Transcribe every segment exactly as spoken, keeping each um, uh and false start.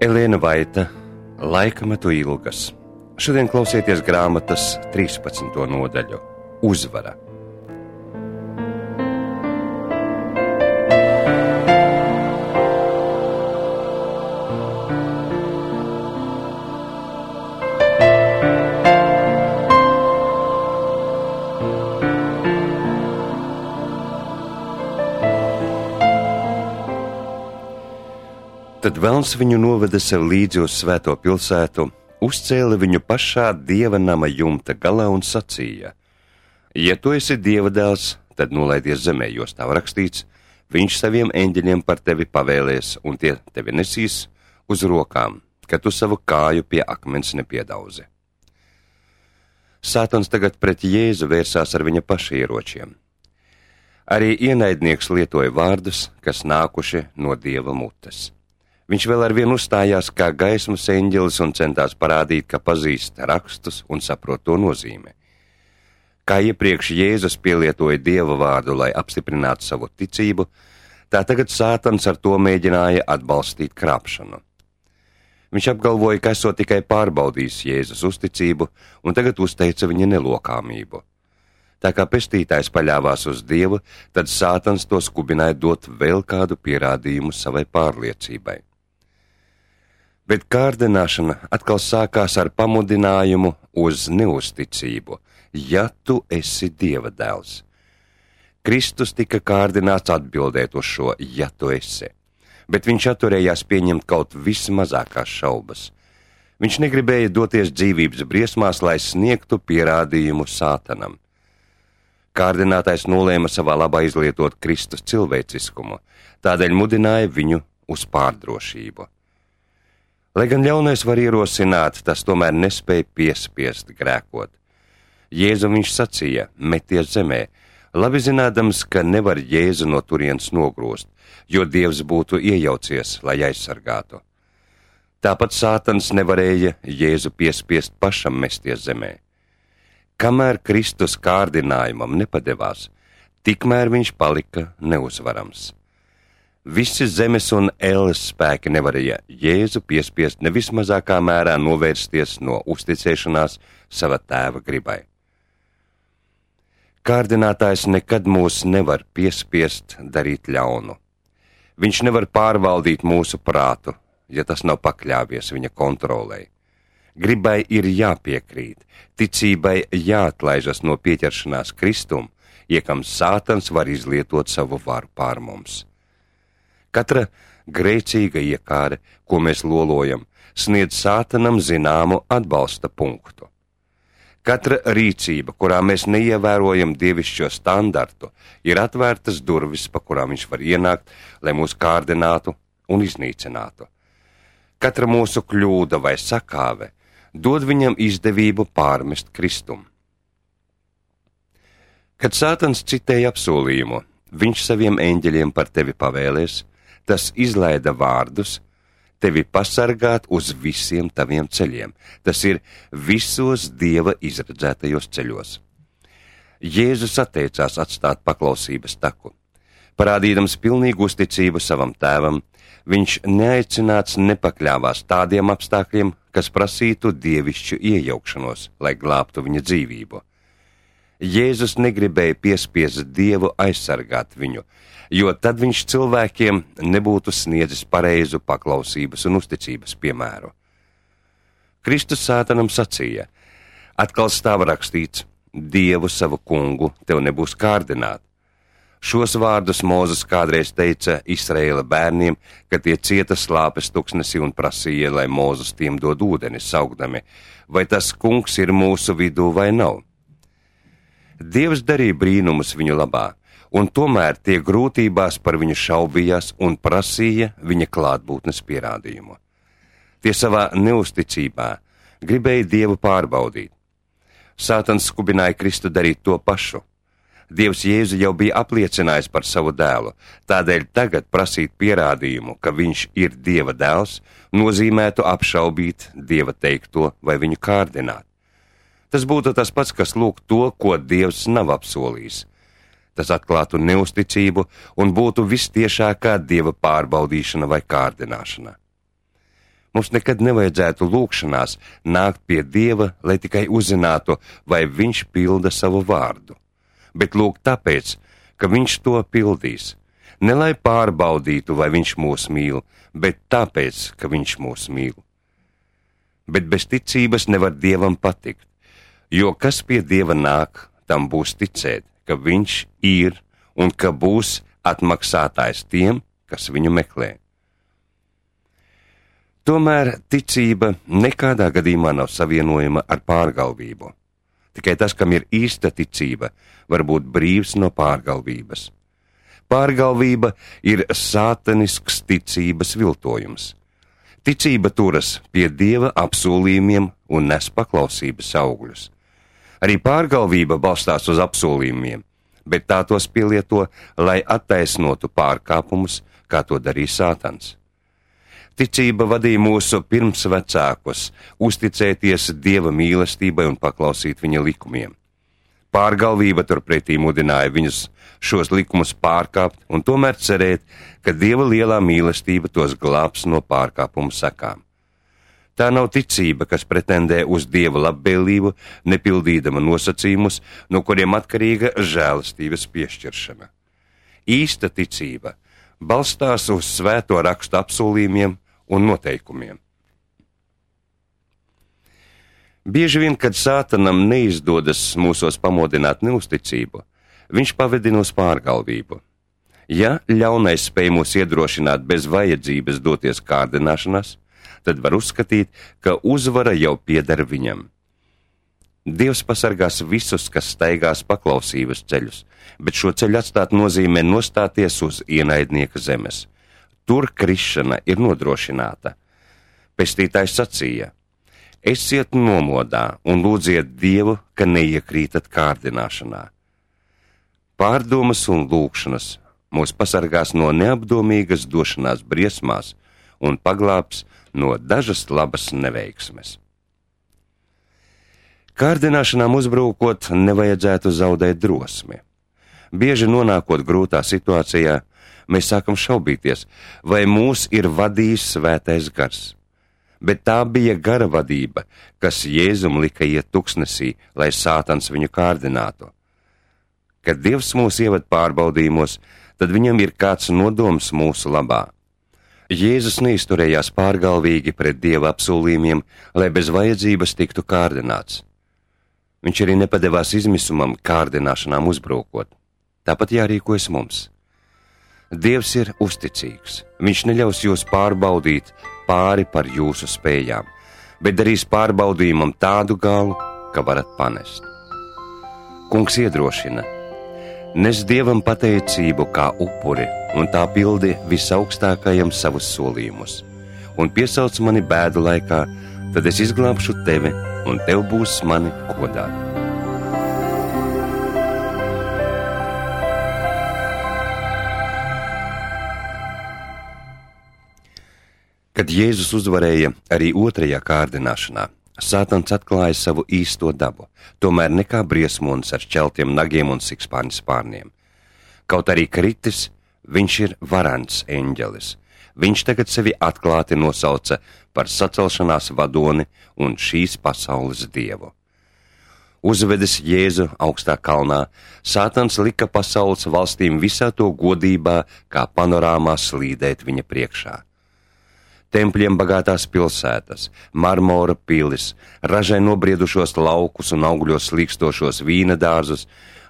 Elēna Vaita, Laikmetu ilgas. Šodien klausieties grāmatas trīspadsmito nodaļu – Uzvara. Tad velns viņu noveda sev līdzi uz svēto pilsētu, uzcēla viņu pašā dieva nama jumta galā un sacīja: Ja tu esi dieva dēls, tad nolaidies zemē, jo stāv rakstīts, viņš saviem eņģeļiem par tevi pavēlēs, un tie tevi nesīs uz rokām, ka tu savu kāju pie akmens nepiedauzi. Sātans tagad pret Jēzu vērsās ar viņa paša ieročiem. Arī ienaidnieks lietoja vārdus, kas nākuši no dieva mutes. Viņš vēl ar vienu uzstājās kā gaismas eņģelis un centās parādīt, ka pazīst rakstus un saprot to nozīme. Kā iepriekš Jēzus pielietoja dieva vārdu, lai apstiprinātu savu ticību, tā tagad Sātans ar to mēģināja atbalstīt krāpšanu. Viņš apgalvoja, ka esot tikai pārbaudījis Jēzus uzticību un tagad uzteica viņa nelokāmību. Tā kā pestītājs paļāvās uz Dievu, tad Sātans to skubināja dot vēl kādu pierādījumu savai pārliecībai. Bet kārdināšana atkal sākās ar pamudinājumu uz neusticību, ja tu esi dieva dēls. Kristus tika kārdināts atbildēt uz šo, ja tu esi, bet viņš atturējās pieņemt kaut vismazākās šaubas. Viņš negribēja doties dzīvības briesmās, lai sniegtu pierādījumu Sātanam. Kārdinātais nolēma savā labā izlietot Kristus cilvēciskumu, tādēļ mudināja viņu uz pārdrošību. Lai gan ļaunais var ierosināt, tas tomēr nespēja piespiest grēkot. Jēzum viņš sacīja: meties zemē, labi zinādams, ka nevar Jēzu no turienes nogrozt, jo Dievs būtu iejaucies, lai aizsargātu. Tāpat Sātans nevarēja Jēzu piespiest pašam mesties zemē. Kamēr Kristus kārdinājumam nepadevās, tikmēr viņš palika neuzvarams. Visi zemes un elles spēki nevarēja Jēzu piespiest nevis mazākā mērā novērsties no uzticēšanās sava tēva gribai. Kārdinātājs nekad mūs nevar piespiest darīt ļaunu. Viņš nevar pārvaldīt mūsu prātu, ja tas nav pakļāvies viņa kontrolei. Gribai ir jāpiekrīt, ticībai jāatlaižas no pieķeršanās Kristum, iekam Sātans var izlietot savu varu pār mums. Katra grēcīga iekāre, ko mēs lolojam, sniedz Sātanam zināmu atbalsta punktu. Katra rīcība, kurā mēs neievērojam dievišķo standartu, ir atvērtas durvis, pa kurām viņš var ienākt, lai mūs kārdinātu un iznīcinātu. Katra mūsu kļūda vai sakāve dod viņam izdevību pārmest Kristum. Kad Sātans citēja apsolījumu, viņš saviem eņģeļiem par tevi pavēlēs, tas izlaida vārdus, tevi pasargāt uz visiem taviem ceļiem. Tas ir visos Dieva izredzētajos ceļos. Jēzus atteicās atstāt paklausības taku. Parādīdams pilnīgu uzticību savam tēvam, viņš neaicināts nepakļāvās tādiem apstākļiem, kas prasītu dievišķu iejaukšanos, lai glābtu viņa dzīvību. Jēzus negribēja piespiest Dievu aizsargāt viņu, jo tad viņš cilvēkiem nebūtu sniedzis pareizu paklausības un uzticības piemēru. Kristus Sātanam sacīja: atkal stāv rakstīts, Dievu savu kungu tev nebūs kārdināt. Šos vārdus Mūzes kādreiz teica Izraēla bērniem, kad tie cieta slāpes tuksnesī un prasīja, lai Mūzes tiem dod ūdeni, saukdami: vai tas kungs ir mūsu vidū vai nav? Dievs darīja brīnumus viņu labā, un tomēr tie grūtībās par viņu šaubījās un prasīja viņa klātbūtnes pierādījumu. Tie savā neusticībā gribēja Dievu pārbaudīt. Sātans skubināja Kristu darīt to pašu. Dievs Jēzu jau bija apliecinājis par savu dēlu, tādēļ tagad prasīt pierādījumu, ka viņš ir Dieva dēls, nozīmētu apšaubīt Dieva teikto vai viņu kārdināt. Tas būtu tas pats, kas lūgt to, ko Dievs nav apsolījis. Tas atklātu neusticību un būtu vistiešākā Dieva pārbaudīšana vai kārdināšana. Mums nekad nevajadzētu lūgšanās nākt pie Dieva, lai tikai uzzinātu, vai Viņš pilda savu vārdu, bet lūgt tāpēc, ka Viņš to pildīs. Ne lai pārbaudītu, vai Viņš mūs mīl, bet tāpēc, ka Viņš mūs mīl. Bet bez ticības nevar Dievam patikt, jo kas pie Dieva nāk, tam būs ticēt, ka Viņš ir un ka būs atmaksātājs tiem, kas Viņu meklē. Tomēr ticība nekādā gadījumā nav savienojama ar pārgalvību. Tikai tas, kam ir īsta ticība, var būt brīvs no pārgalvības. Pārgalvība ir sātanisks ticības viltojums. Ticība turas pie Dieva apsolījumiem un nes paklausības augļus. Arī pārgalvība balstās uz apsolījumiem, bet tā tos pielieto, lai attaisnotu pārkāpumus, kā to darīja Sātans. Ticība vadīja mūsu pirmsvecākus uzticēties Dieva mīlestībai un paklausīt Viņa likumiem. Pārgalvība turpretī mudināja viņus šos likumus pārkāpt un tomēr cerēt, ka Dieva lielā mīlestība tos glābs no pārkāpumu sekām. Tā nav ticība, kas pretendē uz Dieva labvēlību, nepildīdama nosacījumus, no kuriem atkarīga žēlastības piešķiršana. Īsta ticība balstās uz svēto rakstu apsolījumiem un noteikumiem. Bieži vien, kad Sātanam neizdodas mūsos pamodināt neusticību, viņš pavedina uz pārgalvību. Ja ļaunais spēj mūs iedrošināt bez vajadzības doties kārdināšanās, tad var uzskatīt, ka uzvara jau pieder viņam. Dievs pasargās visus, kas staigās paklausības ceļus, bet šo ceļu atstāt nozīmē nostāties uz ienaidnieka zemes. Tur krišana ir nodrošināta. Pestītājs sacīja: esiet nomodā un lūdziet Dievu, ka neiekrītat kārdināšanā. Pārdomas un lūgšanas mūs pasargās no neapdomīgas došanās briesmās un paglābs no dažas labas neveiksmes. Kārdināšanām uzbrūkot, nevajadzētu zaudēt drosmi. Bieži nonākot grūtā situācijā, mēs sākam šaubīties, vai mūs ir vadījis svētais gars. Bet tā bija gara vadība, kas Jēzum lika iet tuksnesī, lai Sātans viņu kārdinātu. Kad Dievs mūs ieved pārbaudījumos, tad viņam ir kāds nodoms mūsu labā. Jēzus neizturējās pārgalvīgi pret Dieva apsolījumiem, lai bez vajadzības tiktu kārdināts. Viņš arī nepadevās izmisumam kārdināšanām uzbrūkot. Tāpat jārīkojas mums. Dievs ir uzticīgs. Viņš neļaus jūs pārbaudīt pāri par jūsu spējām, bet darīs pārbaudījumam tādu galu, ka varat panest. Kungs iedrošina: nes Dievam pateicību kā upuri, un tā pildi visaugstākajam savus solījumus, un piesauc mani bēdu laikā, tad es izglābšu tevi, un tev būs mani godāt. Kad Jēzus uzvarēja arī otrajā kārdināšanā, Sātans atklāja savu īsto dabu, tomēr ne kā briesmonis ar šķeltiem nagiem un sikspārņu spārniem. Kaut arī kritis, viņš ir varants eņģelis. Viņš tagad sevi atklāti nosauca par sacelšanās vadoni un šīs pasaules dievu. Uzvedis Jēzu augstā kalnā, Sātans lika pasaules valstīm visā to godībā, kā panorāmā slīdēt viņa priekšā. Tempļiem bagātās pilsētas, marmora pilis, ražai nobriedušos laukus un augļos līkstošos vīna dārzus,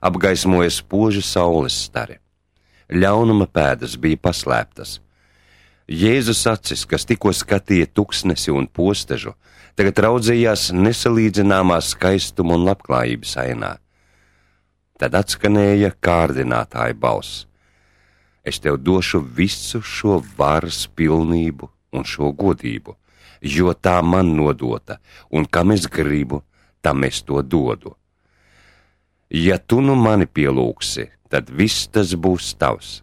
apgaismoja spoži saules stari. Ļaunuma pēdas bija paslēptas. Jēzus acis, kas tikko skatīja tuksnesi un postežu, tagad raudzījās nesalīdzināmā skaistuma un labklājības ainā. Tad atskanēja kārdinātāja balss: es tev došu visu šo varas pilnību un šo godību, jo tā man nodota, un kam es gribu, tam es to dodu. Ja tu nu mani pielūgsi, tad viss tas būs tavs.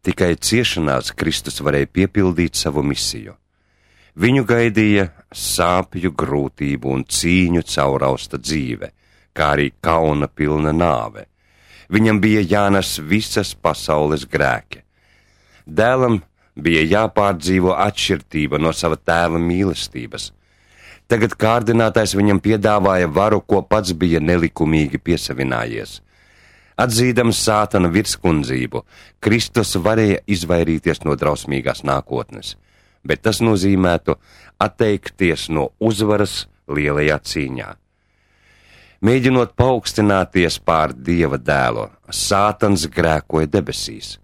Tikai ciešanās Kristus varēja piepildīt savu misiju. Viņu gaidīja sāpju, grūtību un cīņu caurausta dzīve, kā arī kauna pilna nāve. Viņam bija jānes visas pasaules grēki. Dēlam bija jāpārdzīvo atšķirtība no sava tēva mīlestības. Tagad kārdinātājs viņam piedāvāja varu, ko pats bija nelikumīgi piesavinājies. Atzīdams Sātana virskundzību, Kristus varēja izvairīties no drausmīgās nākotnes, bet tas nozīmētu atteikties no uzvaras lielajā cīņā. Mēģinot paaugstināties pār Dieva dēlu, Sātans grēkoja debesīs.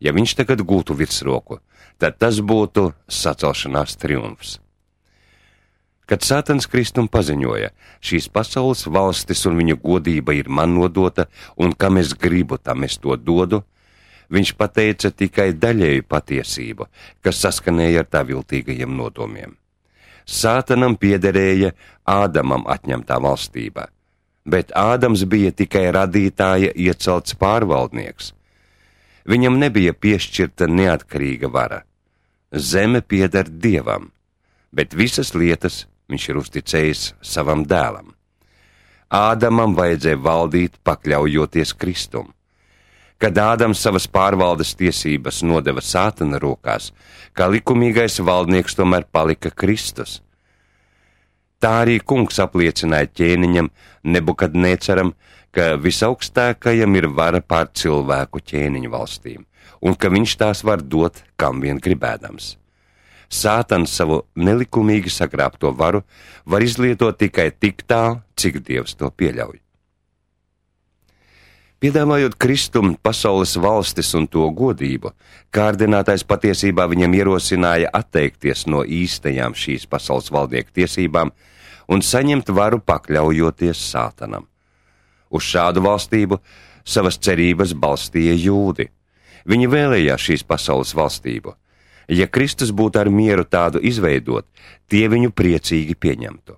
Ja viņš tagad gūtu virsroku, tad tas būtu sacelšanās triumfs. Kad Sātans Kristum paziņoja, šīs pasaules valstis un viņa godība ir man nodota, un kam es gribu, tam es to dodu, viņš pateica tikai daļēju patiesību, kas saskanēja ar tā viltīgajiem nodomiem. Sātanam piederēja Ādamam atņemtā valstība, bet Ādams bija tikai radītāja iecelts pārvaldnieks. Viņam nebija piešķirta neatkarīga vara. Zeme pieder Dievam, bet visas lietas viņš ir uzticējis savam dēlam. Ādamam vajadzēja valdīt, pakļaujoties Kristum. Kad Ādams savas pārvaldes tiesības nodeva Sātana rokās, kā likumīgais valdnieks tomēr palika Kristus. Tā arī kungs apliecināja ķēniņam Nebukadnēcaram, ka visaugstākajam ir vara pār cilvēku ķēniņu valstīm, un ka viņš tās var dot, kam vien gribēdams. Sātans savu nelikumīgi sagrābto varu var izlietot tikai tik tālu, cik Dievs to pieļauj. Piedāvājot Kristum pasaules valstis un to godību, kārdinātais patiesībā viņam ierosināja atteikties no īstajām šīs pasaules valdnieku tiesībām un saņemt varu pakļaujoties Sātanam. Uz šādu valstību savas cerības balstīja jūdi. Viņi vēlējās šīs pasaules valstību. Ja Kristus būtu ar mieru tādu izveidot, tie viņu priecīgi pieņemtu.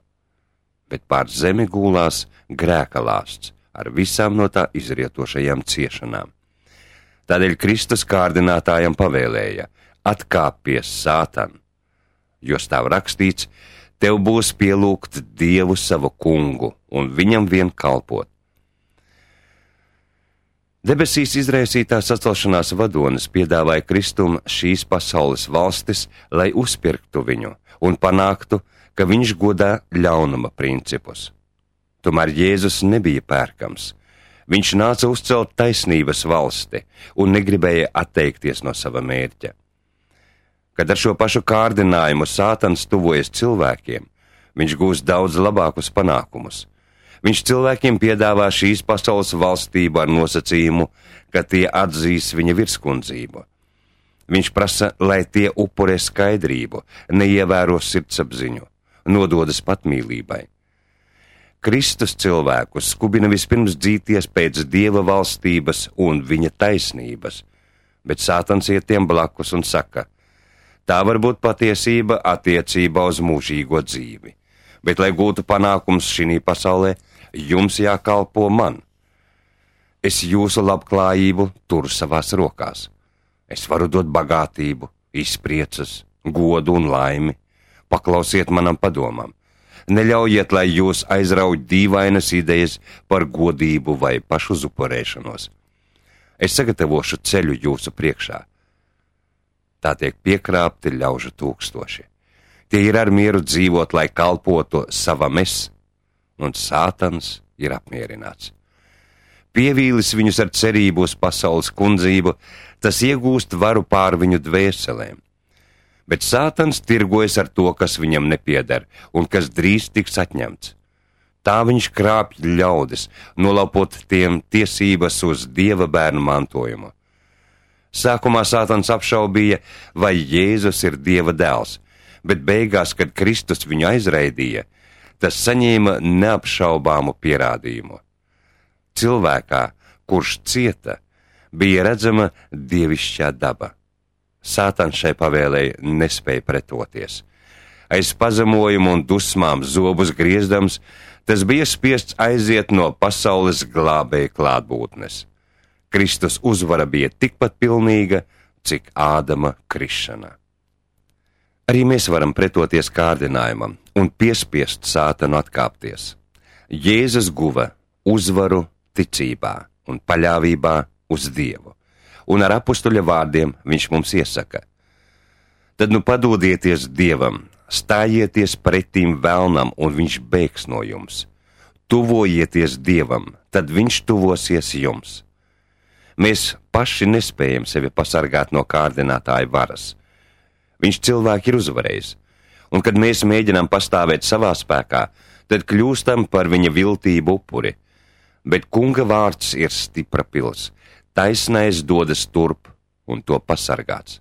Bet pār zemi gulās grēka lāsts ar visām no tā izrietošajām ciešanām. Tādēļ Kristus kārdinātājam pavēlēja: atkāpties, Sātan, jo stāv rakstīts: tev būs pielūgt Dievu savu kungu un viņam vien kalpot. Debesīs izraisītā sacelšanās vadonis piedāvāja Kristum šīs pasaules valstis, lai uzpirktu viņu un panāktu, ka viņš godā ļaunuma principus. Tomēr Jēzus nebija pērkams. Viņš nāca uzcelt taisnības valsti un negribēja atteikties no sava mērķa. Kad ar šo pašu kārdinājumu Sātans tuvojas cilvēkiem, viņš gūs daudz labākus panākumus. Viņš cilvēkiem piedāvā šīs pasaules valstību ar nosacījumu, ka tie atzīs viņa virskundzību. Viņš prasa, lai tie upurē skaidrību, neievēro sirdsapziņu, nododas patmīlībai. Kristus cilvēkus skubina vispirms dzīties pēc Dieva valstības un viņa taisnības, bet Sātans iet tiem blakus un saka: tā var būt patiesība attiecībā uz mūžīgo dzīvi, bet, lai gūtu panākums šī pasaulē, jums jākalpo man. Es jūsu labklājību turu savās rokās. Es varu dot bagātību, izpriecas, godu un laimi. Paklausiet manam padomam. Neļaujiet, lai jūs aizrauj dīvainas idejas par godību vai pašuzupurēšanos. Es sagatavošu ceļu jūsu priekšā. Tā tiek piekrāpti ļaužu tūkstoši. Tie ir ar mieru dzīvot, lai kalpotu savam es, un Sātans ir apmierināts. Pievīlis viņus ar cerību uz pasaules kundzību, tas iegūst varu pār viņu dvēselēm. Bet Sātans tirgojas ar to, kas viņam nepieder un kas drīz tiks atņemts. Tā viņš krāpj ļaudis, nolaupot tiem tiesības uz Dieva bērnu mantojumu. Sākumā Sātans apšaubīja, vai Jēzus ir Dieva dēls, bet beigās, kad Kristus viņu aizraidīja, tas saņēma neapšaubāmu pierādījumu. Cilvēkā, kurš cieta, bija redzama dievišķā daba. Sātans šai pavēlei nespēja pretoties. Aiz pazemojumu un dusmām zobus griezdams, tas bija spiests aiziet no pasaules glābēja klātbūtnes. Kristus uzvara bija tikpat pilnīga, cik Ādama krišana. Arī mēs varam pretoties kārdinājumam un piespiest Sātanu atkāpties. Jēzus guva uzvaru ticībā un paļāvībā uz Dievu, un ar apustuļa vārdiem viņš mums iesaka: Tad nu padodieties Dievam, stājieties pretīm velnam, un viņš bēgs no jums. Tuvojieties Dievam, tad viņš tuvosies jums. Mēs paši nespējam sevi pasargāt no kārdinātāja varas. Viņš cilvēki ir uzvarējis, un kad mēs mēģinām pastāvēt savā spēkā, tad kļūstam par viņa viltību upuri. Bet kunga vārds ir stipra pils, taisnais dodas turp, un to pasargāts.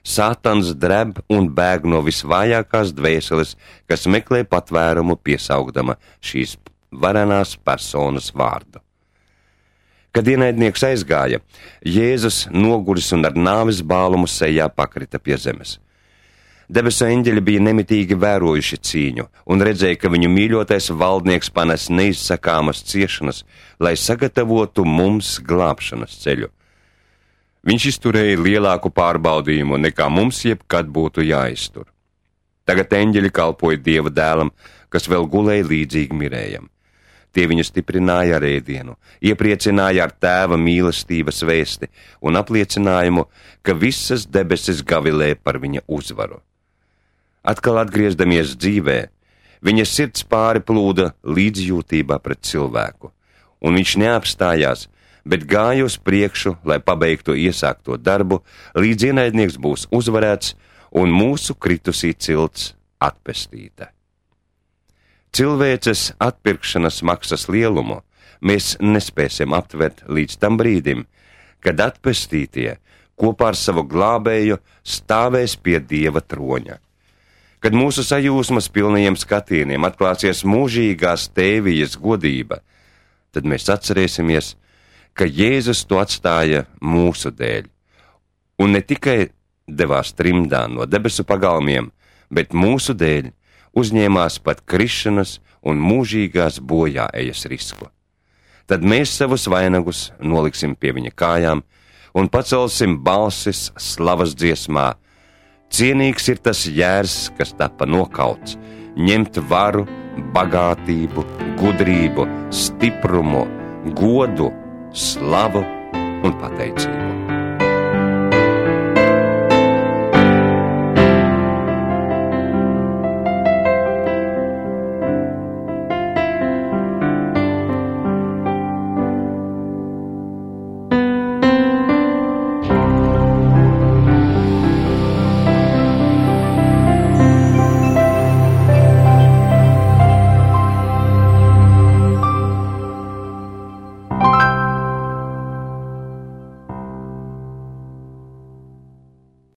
Sātans dreb un bēg no visvājākās dvēseles, kas meklē patvērumu piesaugdama šīs varenās personas vārdu. Kad ienaidnieks aizgāja, Jēzus noguris un ar nāves bālumu sejā pakrita pie zemes. Debesu eņģeļi bija nemitīgi vērojuši cīņu un redzēja, ka viņu mīļotais valdnieks panes neizsakāmas ciešanas, lai sagatavotu mums glābšanas ceļu. Viņš izturēja lielāku pārbaudījumu, nekā mums jebkad būtu jāiztur. Tagad eņģeļi kalpoja Dieva dēlam, kas vēl gulēja līdzīgi mirējam. Tie viņu stiprināja ar ēdienu, iepriecināja ar tēva mīlestības vēsti un apliecinājumu, ka visas debesis gavilē par viņa uzvaru. Atkal atgriezdamies dzīvē, viņa sirds pāri plūda līdzjūtībā pret cilvēku, un viņš neapstājās, bet gāja uz priekšu, lai pabeigtu iesākto darbu, līdz ienaidnieks būs uzvarēts un mūsu kritusī cilts atpestīta. Cilvēces atpirkšanas maksas lielumu mēs nespēsim aptvert līdz tam brīdim, kad atpestītie kopā ar savu glābēju stāvēs pie Dieva troņa. Kad mūsu sajūsmas pilnajiem skatieniem atklāsies mūžīgās tēvijas godība, tad mēs atcerēsimies, ka Jēzus to atstāja mūsu dēļ, un ne tikai devās trimdā no debesu pagalmiem, bet mūsu dēļ uzņēmās pat krišanas un mūžīgās bojāejas risku. Tad mēs savus vainagus noliksim pie viņa kājām un pacelsim balsis slavas dziesmā. Cienīgs ir tas jērs, kas tapa nokauts, ņemt varu, bagātību, gudrību, stiprumu, godu, slavu un pateicību.